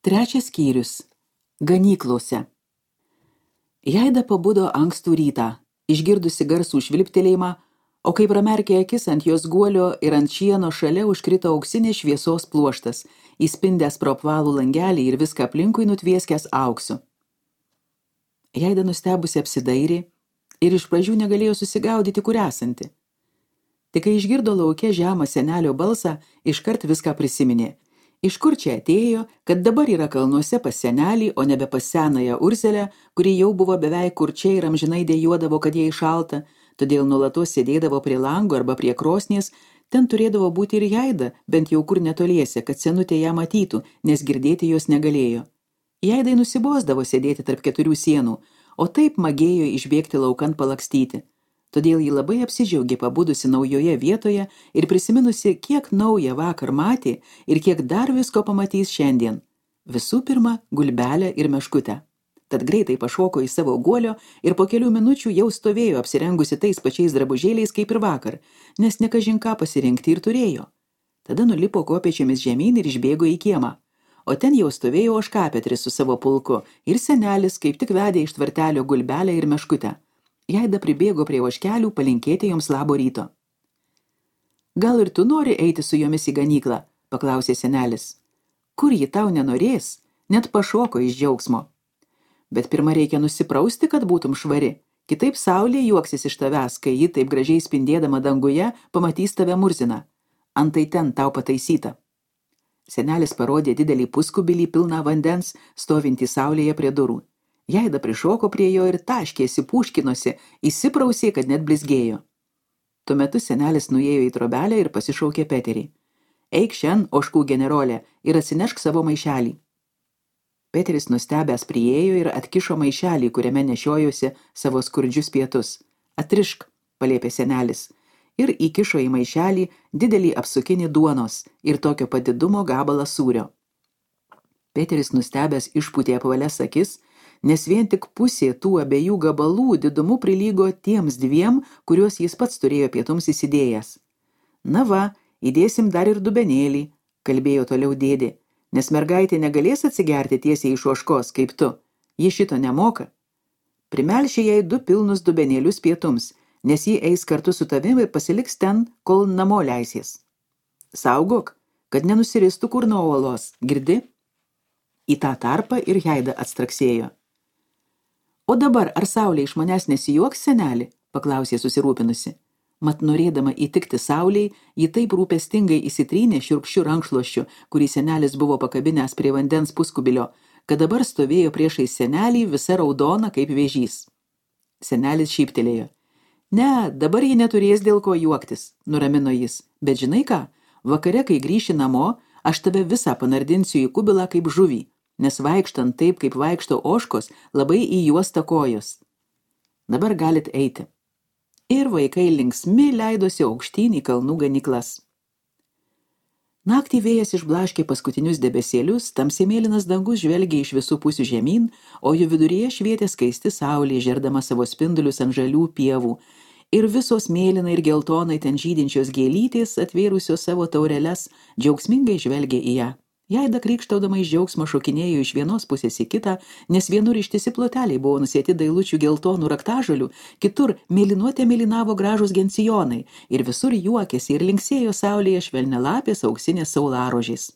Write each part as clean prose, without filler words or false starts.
Trečias skyrius. Ganyklose. Jaida pabudo ankstų rytą, išgirdusi garsų švilptelėjimą, o kai pramerkė akis ant jos guolio ir ant šieno šalia užkrito auksinės šviesos pluoštas, įspindęs pro apvalų langelį ir viską aplinkui nutvieskęs auksu. Jaida nustebusi apsidairė ir iš pradžių negalėjo susigaudyti, kur esanti. Tik kai išgirdo lauke žemą senelio balsą, iškart viską prisiminė. Iš kur čia atėjo, kad dabar yra kalnuose pas senelį, o nebe pas senąją Urzelę, kuri jau buvo beveik kurčia ir amžinai dejuodavo, kad jai šalta, todėl nuolatos sėdėdavo prie lango arba prie krosnies, ten turėdavo būti ir Jaida, bent jau kur netoliese, kad senutė ją matytų, nes girdėti jos negalėjo. Jaidai nusibosdavo sėdėti tarp keturių sienų, o taip magėjo išbėgti laukan palakstyti. Todėl ji labai apsidžiaugė pabudusi naujoje vietoje ir prisiminusi, kiek naują vakar matė ir kiek dar visko pamatys šiandien. Visų pirma, gulbelę ir meškutę. Tad greitai pašoko į savo guolio ir po kelių minučių jau stovėjo apsirengusi tais pačiais drabužėliais kaip ir vakar, nes ne kažin ką pasirinkti ir turėjo. Tada nulipo kopėčiomis žemyn ir išbėgo į kiemą. O ten jau stovėjo ožkapetris su savo pulku ir senelis kaip tik vedė iš tvartelio gulbelę ir meškutę. Jaida pribėgo prie ožkelių palinkėti joms labo ryto. Gal ir tu nori eiti su jomis į ganyklą, paklausė senelis. Kur ji tau nenorės, net pašoko iš džiaugsmo. Bet pirma reikia nusiprausti, kad būtum švari, kitaip saulė juoksis iš tavęs, kai ji taip gražiai spindėdama danguje pamatys tave murziną. Antai ten tau pataisyta. Senelis parodė didelį puskubilį pilną vandens, stovintį saulėje prie durų. Jaida prišoko prie jo ir taškėsi, pūškinosi, įsiprausė, kad net blizgėjo. Tuo metu senelis nuėjo į trobelę ir pasišaukė Peterį. Eik šen, ožkų generolė, ir atsinešk savo maišelį. Peteris nustebęs priėjo ir atkišo maišelį, kuriame nešiojosi savo skurdžius pietus. Atrišk, paliepė senelis, ir įkišo į maišelį didelį apsukinį duonos ir tokio padidumo gabalą sūrio. Peteris nustebęs išpūtė apvalias akis, nes vien tik pusė tų abiejų gabalų didumu prilygo tiems dviem, kuriuos jis pats turėjo pietums įsidėjęs. Na va, įdėsim dar ir dubenėlį, kalbėjo toliau dėdė, nes mergaitė negalės atsigerti tiesiai iš ožkos, kaip tu. Ji šito nemoka. Primelšė jai 2 pilnus dubenėlius pietums, nes ji eis kartu su tavimi ir pasiliks ten, kol namo leisies. Saugok, kad nenusiristų kur nuo uolos, girdi? Į tą tarpą ir Jaida atstraksėjo. O dabar, ar saulė iš manęs nesijuoks, seneli? Paklausė susirūpinusi. Mat norėdama įtikti saulei, ji taip rūpestingai įsitrynė šiurkščiu rankšluosčiu, kurį senelis buvo pakabinęs prie vandens puskubilio, kad dabar stovėjo priešais senelį visa raudona kaip vėžys. Senelis šyptelėjo. Ne, dabar ji neturės dėl ko juoktis, nuramino jis. Bet žinai ką, vakare, kai grįši namo, aš tave visą panardinsiu į kubilą kaip žuvį, nes vaikštant taip, kaip vaikšto ožkos, labai į juos takojos. Dabar galit eiti. Ir vaikai linksmi leidosi aukštyn į kalnų ganyklas. Naktį vėjas išblaškė paskutinius debesėlius, tamsiai mėlynas dangus žvelgė iš visų pusių žemyn, o jų viduryje švietė skaisti saulė, žerdama savo spindulius ant žalių pievų, ir visos mėlynai ir geltonai ten žydinčios gėlytės, atvėrusios savo taureles, džiaugsmingai žvelgė į ją. Jaida krykštaudama iš džiaugsmo šokinėjo iš vienos pusės į kitą, nes vienur ištisi ploteliai buvo nusėti dailučių geltonų raktažolių, kitur mėlinavo gražūs gencijonai ir visur juokėsi ir linksėjo saulėje švelnialapės auksinės saularožės.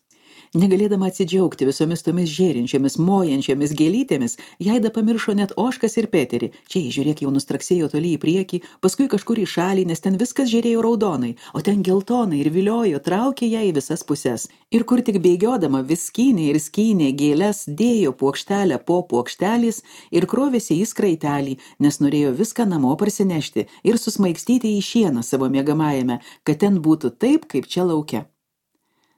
Negalėdama atsidžiaugti visomis tomis žėrinčiomis, mojančiomis gėlytėmis, Jaida pamiršo net ožkas ir Peterį. Čia, žiūrėk, jau nustraksėjo toli į priekį, paskui kažkur į šalį, nes ten viskas žėrėjo raudonai, o ten geltonai ir viliojo, traukė ją į visas puses. Ir kur tik bėgiodama vis skynė gėles, dėjo puokštelę po puokštelės ir krovėsi į skraitelį, nes norėjo viską namo parsinešti ir susmaigstyti į šieną savo miegamajame, kad ten būtų taip, kaip čia lauke.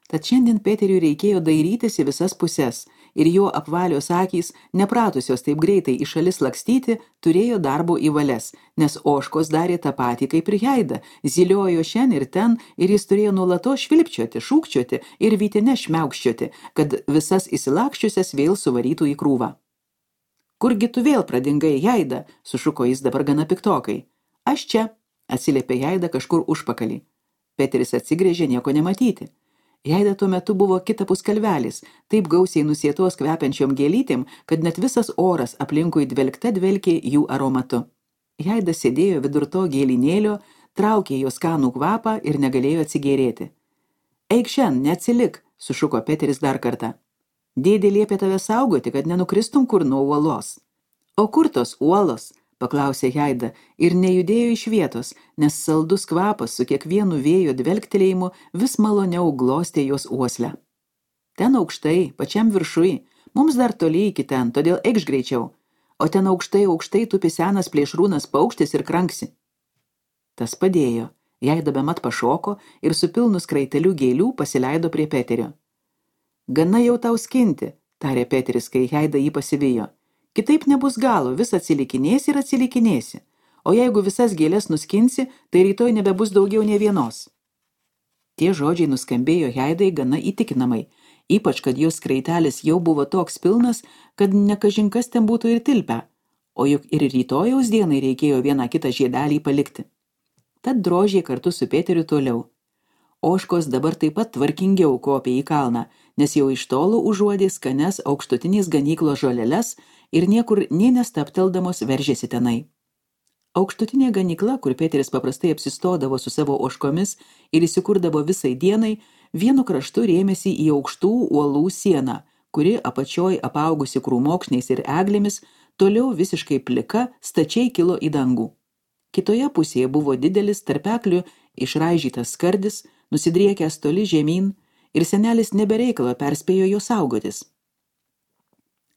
Tad šiandien Peteriui reikėjo dairytis į visas puses, ir jo apvalios akys, nepratusios taip greitai į šalis lakstyti, turėjo darbo į valias, nes ožkos darė tą patį kaip ir Jaida, ziliojo šen ir ten, ir jis turėjo nuolatos švilpčioti, šūkčioti ir vytine šmiaukščioti, kad visas įsilakščiusias vėl suvarytų į krūvą. Kurgi tu vėl pradingai, Jaida, sušuko jis dabar gana piktokai. Aš čia, atsiliepė Jaida kažkur užpakalį. Peteris atsigrėžė nieko nematyti. Jaida tuo metu buvo kitapus kalvelis, taip gausiai nusėtos kvepiančiom gėlytėm, kad net visas oras aplinkui dvelkė jų aromatu. Jaida sėdėjo vidur to gėlinėlio, traukė jo skanų kvapą ir negalėjo atsigėrėti. Eik šen, neatsilik, sušuko Peteris dar kartą. Dėdė liepė tave saugoti, kad nenukristum kur nuo uolos. O kur tos uolos? Paklausė Jaida ir nejudėjo iš vietos, nes saldus kvapas su kiekvienu vėjo dvelktelėjimu vis maloniau glostė jos uoslę. Ten aukštai, pačiam viršui, mums dar toli iki ten, todėl eikš greičiau, o ten aukštai tupi senas plėšrūnas paukštis ir kranksi. Tas padėjo, Jaida bemat pašoko ir su pilnu skraiteliu gėlių pasileido prie Peterio. Gana jau tau skinti, tarė Peteris, kai Jaida jį pasivijo. Kitaip nebus galo, vis atsilikinėsi ir atsilikinėsi, o jeigu visas gėlės nuskinsi, tai rytoj nebebus daugiau nė vienos. Tie žodžiai nuskambėjo Jaidai gana įtikinamai, ypač kad jos skraitelis jau buvo toks pilnas, kad nekažinkas ten būtų ir tilpę, o juk ir rytojaus dienai reikėjo vieną kitą žiedelį palikti. Tad drožė kartu su Peteriu toliau. Ožkos dabar taip pat tvarkingiau kopė į kalną, nes jau iš tolo užuodė skanias aukštutinės ganyklos žoleles ir niekur nė nestapteldamos veržėsi tenai. Aukštutinė ganykla, kur Peteris paprastai apsistodavo su savo ožkomis ir įsikurdavo visai dienai, vienu kraštu rėmėsi į aukštų uolų sieną, kuri apačioj apaugusi krūmokšniais ir eglėmis, toliau visiškai plika, stačiai kilo į dangų. Kitoje pusėje buvo didelis tarpeklių išraižytas skardis, nusidriekęs toli žemyn, ir senelis nebereikalo perspėjo jo saugotis.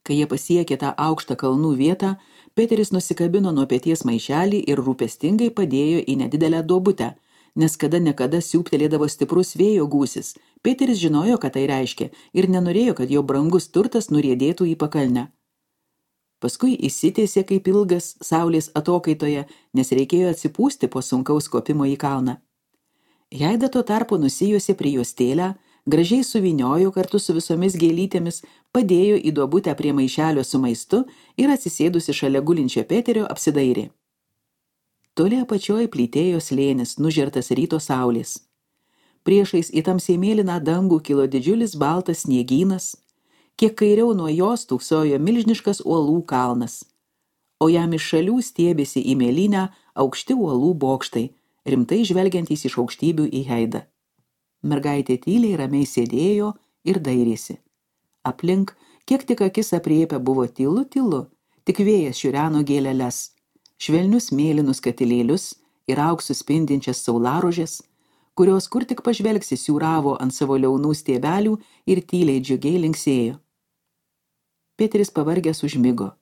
Kai jie pasiekė tą aukštą kalnų vietą, Peteris nusikabino nuo peties maišelį ir rūpestingai padėjo į nedidelę duobutę, nes kada nekada siūptelėdavo stiprus vėjo gūsis. Peteris žinojo, ką tai reiškia, ir nenorėjo, kad jo brangus turtas nuriedėtų į pakalnę. Paskui įsitiesė kaip ilgas saulės atokaitoje, nes reikėjo atsipūsti po sunkaus kopimo į kalną. Jaida tuo tarpu nusijuosė prie juostėlę, gražiai suvyniojo kartu su visomis gėlytėmis, padėjo į duobutę prie maišelio su maistu ir atsisėdusi šalia gulinčio Peterio apsidairė. Toli apačioj plytėjo slėnis, nužertas ryto saulės. Priešais į tamsiai mėlyną dangų kilo didžiulis baltas sniegynas, kiek kairiau nuo jos tūksojo milžiniškas uolų kalnas, o jam iš šalių stiebėsi į mėlynę aukšti uolų bokštai, rimtai žvelgiantys iš aukštybių į Jaidą. Mergaitė tyliai ramiai sėdėjo ir dairėsi. Aplink, kiek tik akis apriepia, buvo tylu, tik vėjas šiureno gėleles, švelnius mėlynus katilėlius ir auksu spindinčias saularožės, kurios kur tik pažvelgsi siūravo ant savo liaunų stiebelių ir tyliai džiugiai linksėjo. Peteris pavargęs užmigo.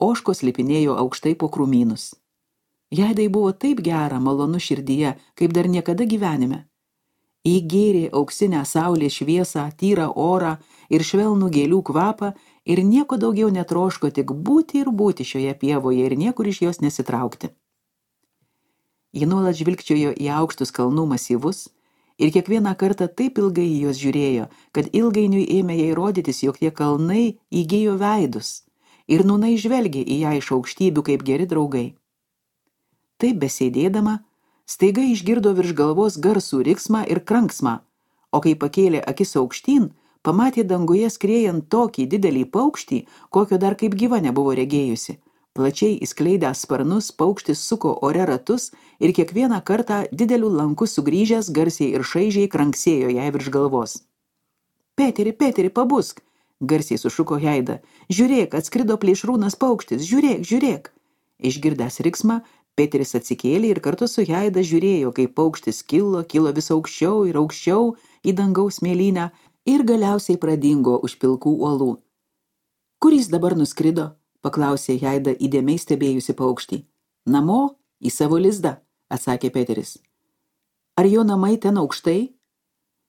Ožkos lipinėjo aukštai po krūmynus. Jaidai buvo taip gera, malonu širdyje, kaip dar niekada gyvenime. Įgėrė auksinę saulės šviesą, tyrą orą ir švelnų gėlių kvapą ir nieko daugiau netroško, tik būti ir būti šioje pievoje ir niekur iš jos nesitraukti. Ji nuolat žvilgčiojo į aukštus kalnų masyvus ir kiekvieną kartą taip ilgai į juos žiūrėjo, kad ilgainiui ėmė jai rodytis, jog tie kalnai įgijo veidus ir nūnai žvelgė į ją iš aukštybių kaip geri draugai. Taip besėdėdama, staiga išgirdo virš galvos garsų riksmą ir kranksmą, o kai pakėlė akis aukštyn, pamatė danguje skriejant tokį didelį paukštį, kokio dar kaip gyva nebuvo regėjusi. Plačiai įskleidęs sparnus, paukštis suko ore ratus ir kiekvieną kartą dideliu lanku sugrįžęs garsiai ir šaižiai kranksėjo jai virš galvos. Peteri, pabusk, garsiai sušuko Jaida. Žiūrėk, atskrido plėšrūnas paukštis, žiūrėk. Išgirdęs riksmą, Peteris atsikėlė ir kartu su Jaida žiūrėjo, kaip paukštis kilo vis aukščiau ir aukščiau į dangaus mėlynę ir galiausiai pradingo už pilkų uolų. Kur jis dabar nuskrido? Paklausė Jaida įdėmiai stebėjusi paukštį. Namo, į savo lizdą, atsakė Peteris. Ar jo namai ten aukštai?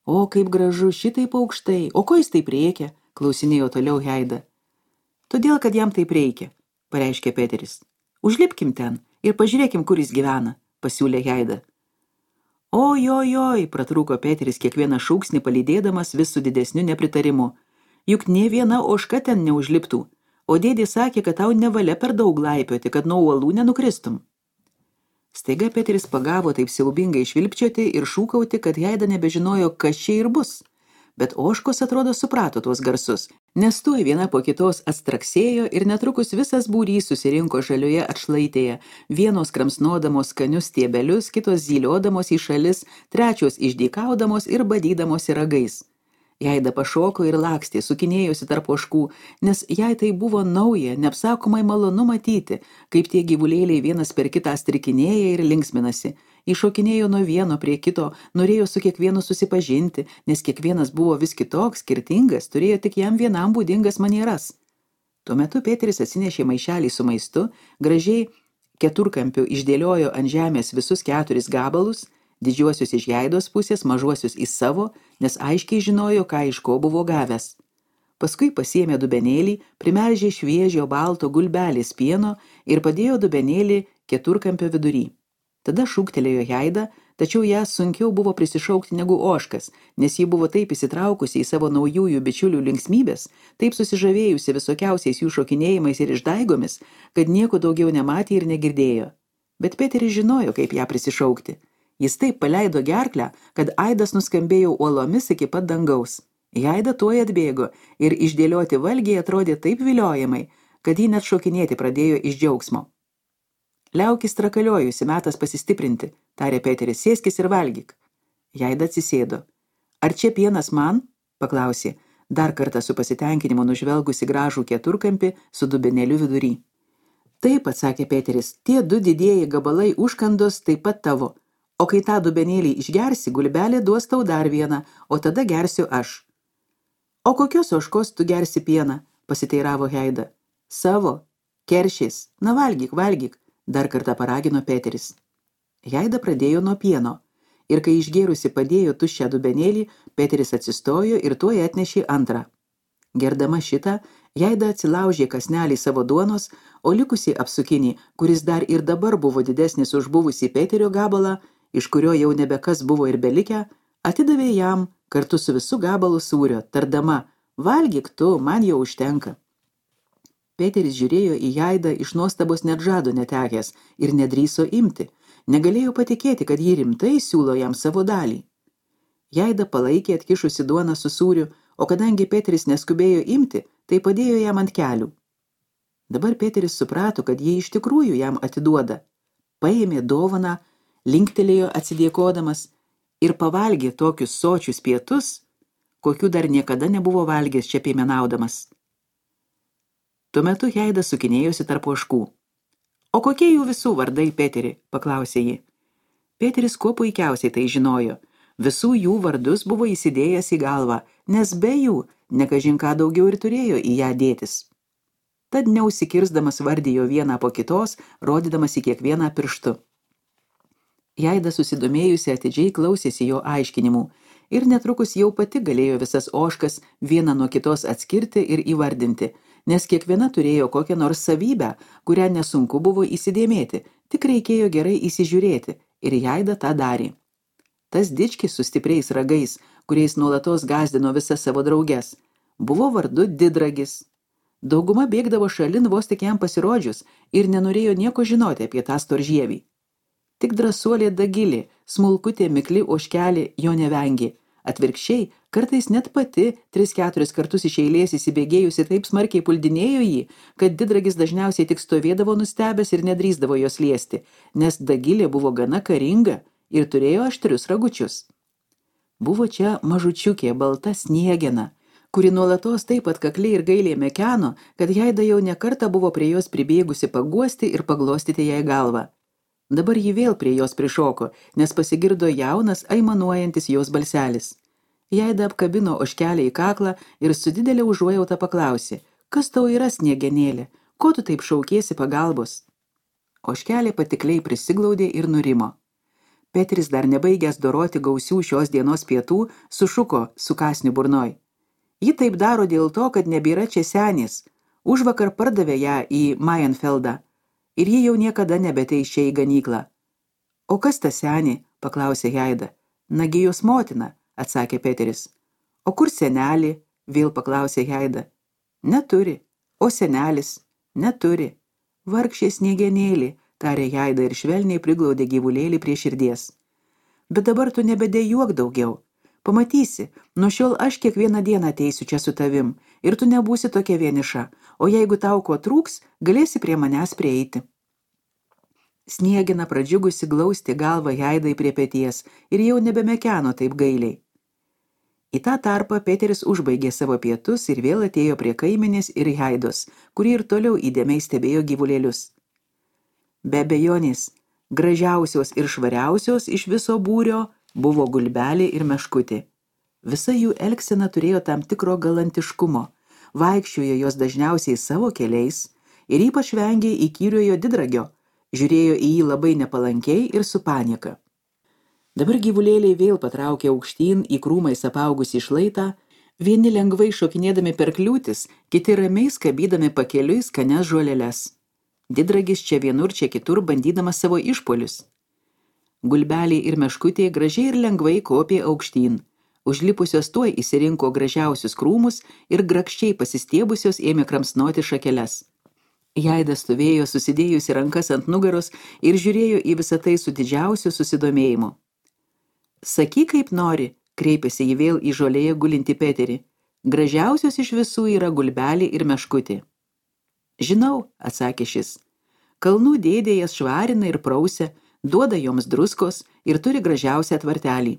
O, kaip gražu, šitaip aukštai. O ko jis taip reikia? Klausinėjo toliau Jaida. Todėl, kad jam taip reikia, pareiškė Peteris. Užlipkim ten ir pažiūrėkim, kur jis gyvena, pasiūlė Jaida. Ojojoj, pratrūko Peteris kiekvieną šūksnį palydėdamas vis su didesniu nepritarimu. Juk nė viena ožka ten neužliptų, o dėdė sakė, kad tau nevalia per daug laipioti, kad nuo uolų nenukristum. Staiga Peteris pagavo taip siaubingai švilpčioti ir šūkauti, kad Jaida nebežinojo, kas čia ir bus. Bet ožkos atrodo suprato tuos garsus, nes tuoj viena po kitos atstraksėjo ir netrukus visas būrys susirinko žalioje atšlaitėje, vienos kramsnodamos skanius stiebelius, kitos zyliodamos į šalis, trečios išdykaudamos ir badydamosi ragais. Jaida pašoko ir lakstė, sukinėjosi tarp ožkų, nes jai tai buvo nauja, neapsakomai malonu matyti, kaip tie gyvulėliai vienas per kitą strikinėja ir linksminasi. Iššokinėjo nuo vieno prie kito, norėjo su kiekvienu susipažinti, nes kiekvienas buvo vis kitoks, skirtingas, turėjo tik jam vienam būdingas manieras. Tuo metu Peteris atsinešė maišelį su maistu, gražiai keturkampiu išdėliojo ant žemės visus 4 gabalus, didžiuosius iš Jaidos pusės, mažuosius į savo, nes aiškiai žinojo, ką iš ko buvo gavęs. Paskui pasiėmė dubenėlį, primelžė šviežio balto gulbelės pieno ir padėjo dubenėlį keturkampio vidury. Tada šūktelėjo Jaida, tačiau ją sunkiau buvo prisišaukti negu ožkas, nes ji buvo taip įsitraukusi į savo naujųjų bičiulių linksmybės, taip susižavėjusi visokiausiais jų šokinėjimais ir išdaigomis, kad nieko daugiau nematė ir negirdėjo. Bet Peteris žinojo, kaip ją prisišaukti. Jis taip paleido gerklę, kad aidas nuskambėjo uolomis iki pat dangaus. Jaida tuoj atbėgo ir išdėlioti valgiai atrodė taip viliojamai, kad ji net šokinėti pradėjo iš džiaugsmo. Liaukis trakaliojusi, metas pasistiprinti, tarė Peteris, sėskis ir valgyk. Jaida atsisėdo. Ar čia pienas man? Paklausė, dar kartą su pasitenkinimu nužvelgusi gražų keturkampį su dubenėliu vidury. Taip, atsakė Peteris, tie 2 didieji gabalai užkandos taip pat tavo. O kai tą dubenėlį išgersi, gulbelė duos tau dar vieną, o tada gersiu aš. O kokios ožkos tu gersi pieną? Pasiteiravo Jaida. Savo, keršiais, na valgyk, dar kartą paragino Peteris. Jaida pradėjo nuo pieno, ir kai išgėrusi padėjo tuščią dubenėlį, Peteris atsistojo ir tuoj atnešė antrą. Gerdama šitą, Jaida atsilaužė kąsnelį savo duonos, o likusį apsukinį, kuris dar ir dabar buvo didesnis už buvusį Peterio gabalą, iš kurio jau nebekas buvo ir belikę, atidavė jam kartu su visu gabalu sūrio, tardama, valgyk tu, man jau užtenka. Peteris žiūrėjo į Jaidą iš nuostabos net žado netekęs ir nedrįso imti, negalėjo patikėti, kad ji rimtai siūlo jam savo dalį. Jaida palaikė atkišusi duoną su sūriu, o kadangi Peteris neskubėjo imti, tai padėjo jam ant kelių. Dabar Peteris suprato, kad jie iš tikrųjų jam atiduoda. Paėmė dovaną, linktelėjo atsidėkodamas ir pavalgė tokius sočius pietus, kokių dar niekada nebuvo valgęs čia piemenaudamas. Tuo metu Jaida sukinėjosi tarp ožkų. O kokie jų visų vardai, Peteri? Paklausė ji. Peteris kuo puikiausiai tai žinojo. Visų jų vardus buvo įsidėjęs į galvą, nes be jų nekažin ką daugiau ir turėjo į ją dėtis. Tad neužsikirsdamas vardijo vieną po kitos, rodydamas į kiekvieną pirštu. Jaida susidomėjusi atidžiai klausėsi jo aiškinimų ir netrukus jau pati galėjo visas ožkas vieną nuo kitos atskirti ir įvardinti, nes kiekviena turėjo kokią nors savybę, kurią nesunku buvo įsidėmėti, tik reikėjo gerai įsižiūrėti ir Jaida tą darė. Tas dičkis su stipriais ragais, kuriais nuolatos gąsdino visas savo drauges, buvo vardu Didragis. Dauguma bėgdavo šalin vos tik jam pasirodžius ir nenorėjo nieko žinoti apie tą storžievį. Tik drąsuolė Dagilė, smulkutė mikli ožkelė jo nevengė. Atvirkščiai, kartais net pati 3-4 kartus iš eilės įsibėgėjusi taip smarkiai puldinėjo jį, kad Didragis dažniausiai tik stovėdavo nustebęs ir nedrįsdavo jos liesti, nes Dagilė buvo gana karinga ir turėjo aštrius ragučius. Buvo čia mažučiukė balta sniegena, kuri nuolatos taip atkakliai ir gailiai mekeno, kad Jaida jau ne kartą buvo prie jos pribėgusi paguosti ir paglostyti jai galvą. Dabar ji vėl prie jos prišoko, nes pasigirdo jaunas, aimanuojantis jos balselis. Jaida apkabino ožkelę į kaklą ir su didelė užuojauta paklausė, kas tau yra sniegenėlė, ko tu taip šaukiesi pagalbos? Ožkelė patikliai prisiglaudė ir nurimo. Peteris dar nebaigęs doroti gausių šios dienos pietų, sušuko su kąsniu burnoj. Ji taip daro dėl to, kad nebėra čia senės. Užvakar pardavė ją į Mayenfeldą. Ir ji jau niekada nebeteis čia į ganyklą. O kas ta senė? Paklausė Jaida. Nagi jos motina, atsakė Peteris. O kur senelį? Vėl paklausė Jaida. Neturi. O senelis? Neturi. Vargšė sniegenėlį, tarė Jaida ir švelniai priglaudė gyvulėlį prie širdies. Bet dabar tu nebedejuok daugiau. Pamatysi, nuo šiol aš kiekvieną dieną ateisiu čia su tavim ir tu nebūsi tokia vieniša, o jeigu tau ko trūks, galėsi prie manęs prieiti. Sniegina pradžiugusi glausti galvą Haidai prie peties ir jau nebemekeno taip gailiai. Į tą tarpą Peteris užbaigė savo pietus ir vėl atėjo prie kaimenės ir Haidos, kuri ir toliau įdėmiai stebėjo gyvulėlius. Be abejonės, gražiausios ir švariausios iš viso būrio buvo Gulbelė ir Meškutė. Visa jų elgsena turėjo tam tikro galantiškumo, vaikščiojo jos dažniausiai savo keliais ir ypač vengė įkyriojo Didragio, žiūrėjo į jį labai nepalankiai ir su panieka. Dabar gyvulėliai vėl patraukė aukštyn į krūmais apaugusį šlaitą, vieni lengvai šokinėdami per kliūtis, kiti ramiai skabydami pakeliui skanias žolėles. Didragis čia vienur, čia kitur bandydamas savo išpolius. Gulbelė ir Meškutė gražiai ir lengvai kopė aukštyn. Užlipusios tuoj įsirinko gražiausius krūmus ir grakščiai pasistiebusios ėmė kramsnoti šakeles. Haida stovėjo susidėjusi rankas ant nugaros ir žiūrėjo į visą tai su didžiausiu susidomėjimu. Sakyk, kaip nori, kreipėsi ji vėl į žolėje gulinti Peterį. Gražiausios iš visų yra Gulbelė ir Meškutė. Žinau, atsakė šis. Kalnų dėdė jas švarina ir prausia, duoda joms druskos ir turi gražiausią tvartelį.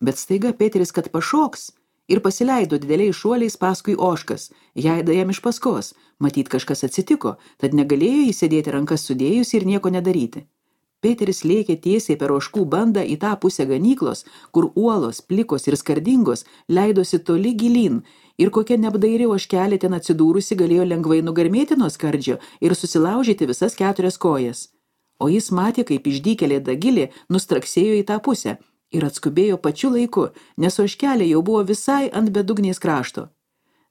Bet staiga Peteris kad pašoks ir pasileido dideliais šuoliais paskui ožkas, Haida jam iš paskos, matyt kažkas atsitiko, tad negalėjo įsėdėti rankas sudėjus ir nieko nedaryti. Peteris lėkė tiesiai per ožkų bandą į tą pusę ganyklos, kur uolos, plikos ir skardingos leidosi toli gilyn ir kokia neapdairi ožkelė ten atsidūrusi galėjo lengvai nugarmėti nuo skardžio ir susilaužyti visas 4 kojas. O jis matė, kaip išdykėlė Dagilė nustraksėjo į tą pusę ir atskubėjo pačiu laiku, nes ožkelė jau buvo visai ant bedugnės krašto.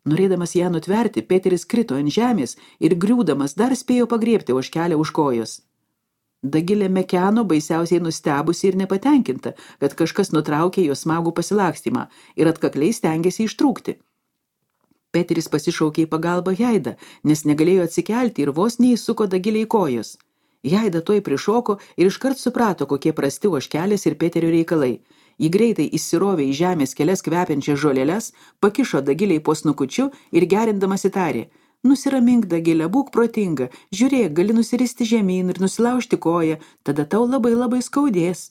Norėdamas ją nutverti, Peteris krito ant žemės ir griūdamas dar spėjo pagriebti ožkelę už kojos. Dagilė mekeno baisiausiai nustebusi ir nepatenkinta, kad kažkas nutraukė jo smagų pasilakstymą ir atkakliai stengėsi ištrūkti. Peteris pasišaukė į pagalbą Haidą, nes negalėjo atsikelti ir vos neįsuko Dagilę į kojos. Haida tuoj prišoko ir iškart suprato, kokie prasti ožkelės ir Peterio reikalai. Ji greitai įsirovė į žemės kelias kvepiančias žolėles, pakišo Dagilei po snukučiu ir gerindamas įtarė: Nusiramink, Dagilė, būk protinga, žiūrėk, gali nusiristi žemyn ir nusilaužti koją, tada tau labai labai skaudės.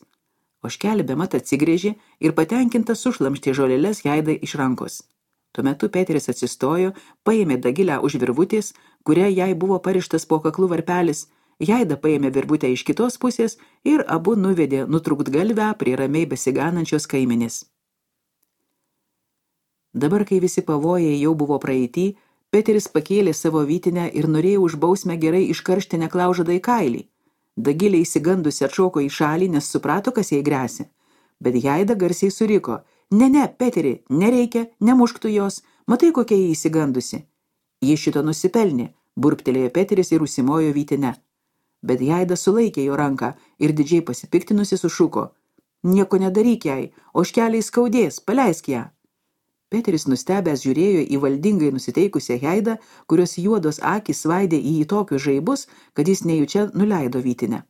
Ožkelė bemat atsigrėžė ir patenkinta sušlamštė žolėles Haidai iš rankos. Tuo metu Peteris atsistojo, paėmė Dagilę už virvutės, kuria jai buvo parištas po kaklu varpelis, Haida paėmė virvutę iš kitos pusės ir abu nuvedė nutrūktgalvę prie ramiai besiganančios kaimenės. Dabar, kai visi pavojai jau buvo praeity, Peteris pakėlė savo vytinę ir norėjo už bausmę gerai iškaršti neklaužadą į kailį. Dagilė įsigandusi atšoko į šalį, nes suprato, kas jai gresia. Bet Haida garsiai suriko: Ne, Peteri, nereikia, nemušk tu jos, matai, kokia jį įsigandusi. Ji šito nusipelnė, burptelėjo Peteris ir užsimojo vytinę. Bet Haida sulaikė jo ranką ir didžiai pasipiktinusi sušuko: Nieko nedaryk jai, ožkeliai skaudės, paleisk ją. Peteris nustebęs žiūrėjo į valdingai nusiteikusią Haidą, kurios juodos akys svaidė į jį tokius žaibus, kad jis nejučia nuleido vytinę.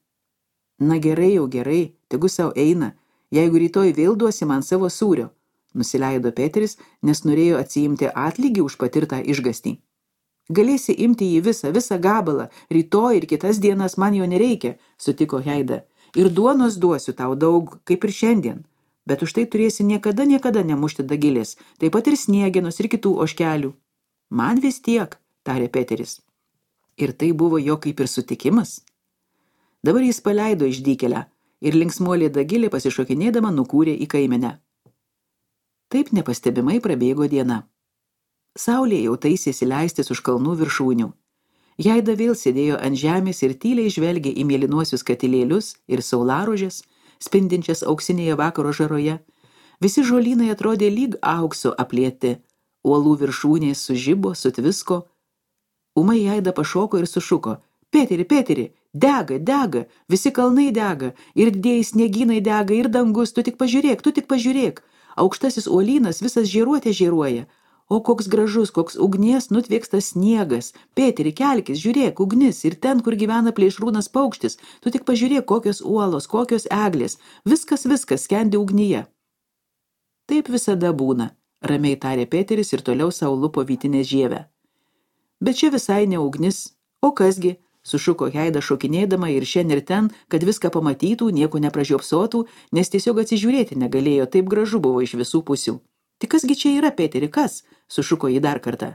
Na gerai, jau gerai, tegu sau eina, jeigu rytoj vėl duosi man savo sūrio, nusileido Peteris, nes norėjo atsiimti atlygį už patirtą išgąstį. Galėsi imti jį visą gabalą, rytoj ir kitas dienas man jo nereikia, sutiko Haida, ir duonos duosiu tau daug, kaip ir šiandien. Bet už tai turėsi niekada nemušti Dagilės, taip pat ir Sniegenos ir kitų ožkelių. Man vis tiek, tarė Peteris. Ir tai buvo jo kaip ir sutikimas. Dabar jis paleido išdykėlę ir linksmuolė Dagilė pasišokinėdama nukūrė į kaimenę. Taip nepastebimai prabėgo diena. Saulė jau taisėsi leistis už kalnų viršūnių. Haida vėl sėdėjo ant žemės ir tyliai žvelgė į mėlynuosius katilėlius ir saularožės, spindinčias auksinėje vakaro žaroje. Visi žolynai atrodė lyg aukso aplieti, uolų viršūnės sužibo, sutvisko. Ūmai Haida pašoko ir sušuko: Peteri, dega, visi kalnai dega, ir didieji sniegynai dega, ir dangus, tu tik pažiūrėk, aukštasis uolynas visas žėruoja. O koks gražus, koks ugnies nutvėkstas sniegas. Peteri, kelkis, žiūrėk, ugnis, ir ten, kur gyvena plėšrūnas paukštis, tu tik pažiūrėk, kokios uolos, kokios eglės, viskas skendi ugnyje. Taip visada būna, ramiai tarė Peteris ir toliau sau lupo vytinės žievę. Bet čia visai ne ugnis, o kasgi, sušuko Heida šokinėdama ir šiandien ir ten, kad viską pamatytų, nieko nepražiopsotų, nes tiesiog atsižiūrėti negalėjo, taip gražu buvo iš visų pusių. Tik kasgi čia yra, Peteri, kas? Sušuko jį dar kartą.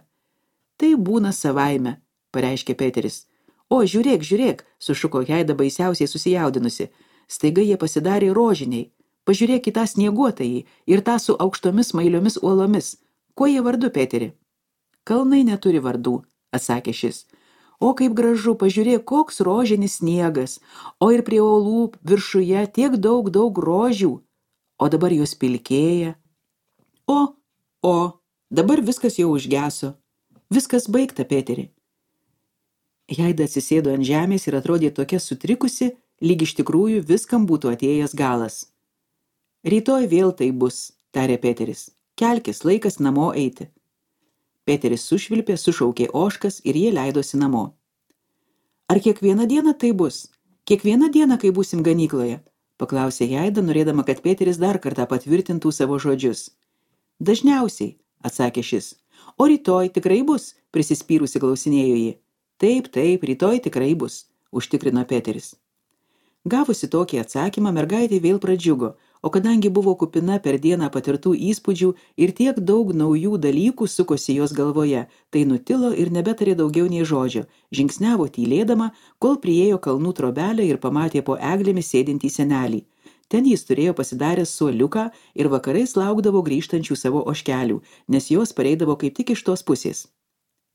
Tai būna savaime, pareiškė Peteris. O, žiūrėk, žiūrėk, sušuko Heida baisiausiai susijaudinusi. Staiga jie pasidarė rožiniai. Pažiūrėk į tą snieguotąjį ir tą su aukštomis mailiomis uolomis. Kuo jie vardu, Peteri? Kalnai neturi vardų, atsakė šis. O kaip gražu, pažiūrėk, koks rožinis sniegas, o ir prie uolų viršuje tiek daug rožių, o dabar jos pilkėja. O, dabar viskas jau užgeso. Viskas baigta, Peteri. Heida atsisėdo ant žemės ir atrodė tokia sutrikusi, lyg iš tikrųjų viskam būtų atėjęs galas. Rytoj vėl tai bus, tarė Peteris. Kelkis, laikas namo eiti. Peteris sušvilpė, sušaukė ožkas ir jie leidosi namo. Ar kiekvieną dieną tai bus? Kiekvieną dieną, kai būsim ganykloje? Paklausė Heida, norėdama, kad Peteris dar kartą patvirtintų savo žodžius. Dažniausiai, atsakė šis. O rytoj tikrai bus, prisispyrusi klausinėjo ji. Taip, rytoj tikrai bus, užtikrino Peteris. Gavusi tokį atsakymą, mergaitė vėl pradžiugo, o kadangi buvo kupina per dieną patirtų įspūdžių ir tiek daug naujų dalykų sukosi jos galvoje, tai nutilo ir nebetarė daugiau nei žodžio, žingsniavo tylėdama, kol priėjo kalnų trobelę ir pamatė po eglėmis sėdintį senelį. Ten jis turėjo pasidaręs suoliuką ir vakarais laukdavo grįžtančių savo ožkelių, nes jos pareidavo kaip tik iš tos pusės.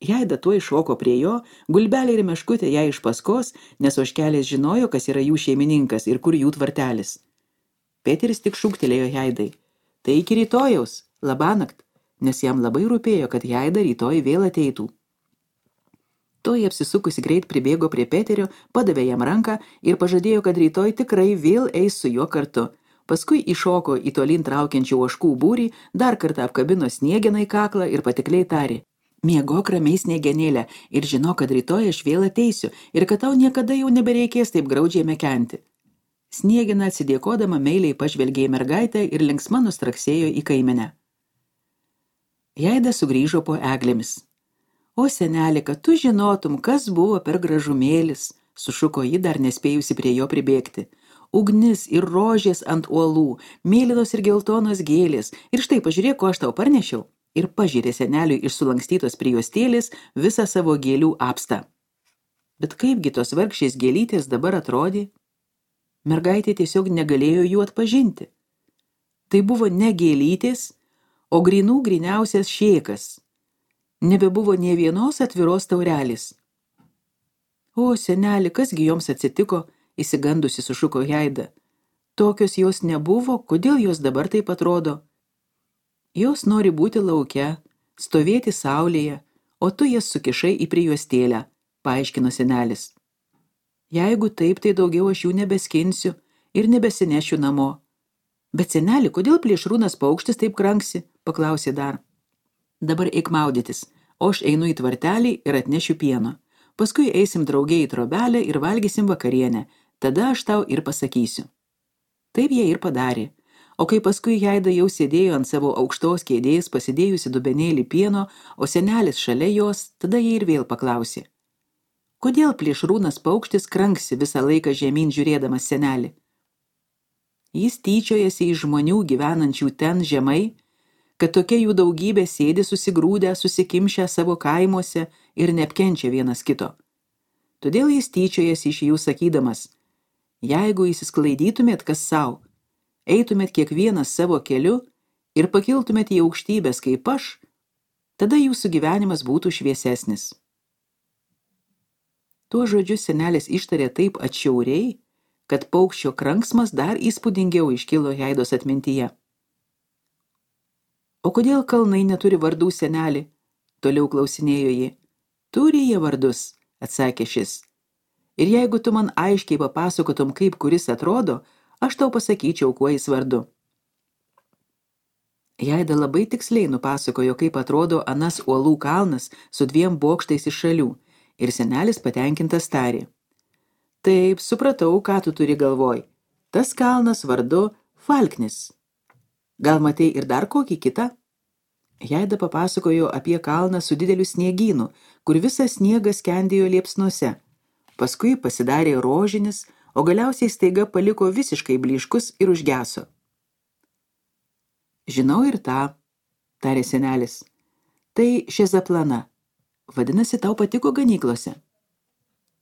Heida tuoj šoko prie jo, gulbelė ir meškutė ją iš paskos, nes ožkelės žinojo, kas yra jų šeimininkas ir kur jų tvartelis. Peteris tik šūktelėjo Heidai. Tai iki rytojaus, labanakt, nes jam labai rūpėjo, kad Heida rytoj vėl ateitų. Toji apsisukusi greit pribėgo prie Peterio, padavė jam ranką ir pažadėjo, kad rytoj tikrai vėl eis su juo kartu. Paskui įšoko į tolyn traukiančių ožkų būrį, dar kartą apkabino Sniegeną į kaklą ir patikliai tarė. Miegok ramiai, Sniegenėlė, ir žino, kad rytoj aš vėl ateisiu ir kad tau niekada jau nebereikės taip graudžiai mekenti. Sniegena atsidėkodama meiliai pažvelgė į mergaitę ir linksma nustraksėjo į kaimenę. Heida sugrįžo po eglėmis. O seneli, kad tu žinotum, kas buvo per gražumėlis, sušuko ji dar nespėjusi prie jo pribėgti. Ugnis ir rožės ant uolų, mėlynos ir geltonos gėlės, ir štai pažiūrėk, ko aš tau parnešiau. Ir pažyrė seneliui iš sulankstytos prijuostėlės visą savo gėlių apstą. Bet kaipgi tos vargšės gėlytės dabar atrodė? Mergaitė tiesiog negalėjo jų atpažinti. Tai buvo ne gėlytės, o gryniausias šėkas. Nebebuvo nė vienos atviros taurelės. O, seneli, kasgi joms atsitiko, išsigandusi sušuko Heida. Tokios jos nebuvo, kodėl jos dabar taip atrodo? Jos nori būti lauke, stovėti saulėje, o tu jas sukišai į prijuostėlę, paaiškino senelis. Jeigu taip, tai daugiau aš jų nebeskinsiu ir nebesinešiu namo. Bet seneli, kodėl plėšrūnas paukštis taip kranksi, paklausė dar. Dabar eik maudytis, o aš einu į tvartelį ir atnešiu pieno. Paskui eisim drauge į trobelę ir valgysim vakarienę, tada aš tau ir pasakysiu. Taip jie ir padarė. O kai paskui Heida jau sėdėjo ant savo aukštos kėdės, pasidėjusi dubenėlį pieno, o senelis šalia jos, tada jie ir vėl paklausė. Kodėl plėšrūnas paukštis kranksi visą laiką žemyn žiūrėdamas senelį? Jis tyčiojasi iš žmonių gyvenančių ten žemai, kad tokia jų daugybė sėdi susigrūdę, susikimšę savo kaimuose ir neapkenčia vienas kito. Todėl jis tyčiojasi iš jų sakydamas, jeigu įsisklaidytumėt kas sau, eitumėt kiekvienas savo keliu ir pakiltumėt į aukštybės kaip aš, tada jūsų gyvenimas būtų šviesesnis. Tuo žodžiu senelis ištarė taip atšiauriai, kad paukščio kranksmas dar įspūdingiau iškilo Heidos atmintyje. O kodėl kalnai neturi vardų, seneli? Toliau klausinėjo ji. Turi jie vardus, atsakė šis. Ir jeigu tu man aiškiai papasakotum, kaip kuris atrodo, aš tau pasakyčiau, kuo jis vardu. Heida labai tiksliai nupasakojo, kaip atrodo anas uolų kalnas su 2 bokštais iš šalių, ir senelis patenkintas tarė. Taip, supratau, ką tu turi galvoj. Tas kalnas vardu Falknis. Gal matei ir dar kokį kitą? Jaida papasakojo apie kalną su dideliu sniegynu, kur visas sniegas skendėjo liepsnuose. Paskui pasidarė rožinis, o galiausiai staiga paliko visiškai blyškus ir užgeso. Žinau ir tą, tarė senelis. Tai šezaplana. Vadinasi, tau patiko ganyklose.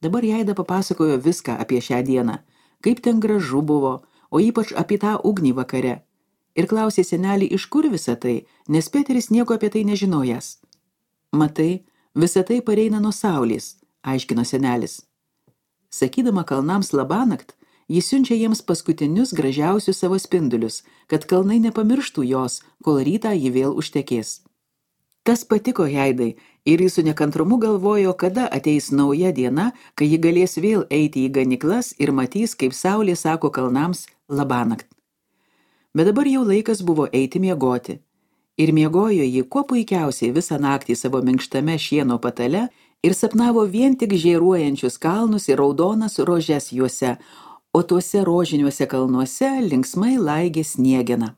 Dabar Jaida papasakojo viską apie šią dieną, kaip ten gražu buvo, o ypač apie tą ugnį vakare. Ir klausė senelį, iš kur visa tai, nes Peteris nieko apie tai nežinojęs. Matai, visa tai pareina nuo saulės, aiškino senelis. Sakydama kalnams labanakt, jis siunčia jiems paskutinius gražiausius savo spindulius, kad kalnai nepamirštų jos, kol rytą ji vėl užtekės. Tas patiko Jaidai ir jis su nekantrumu galvojo, kada ateis nauja diena, kai ji galės vėl eiti į ganyklas ir matys, kaip saulė sako kalnams labanakt. Bet dabar jau laikas buvo eiti miegoti. Ir miegojo ji kuo puikiausiai visą naktį savo minkštame šieno patale ir sapnavo vien tik žėruojančius kalnus ir raudonas rožes juose, o tuose rožiniuose kalnuose linksmai laigė sniegena.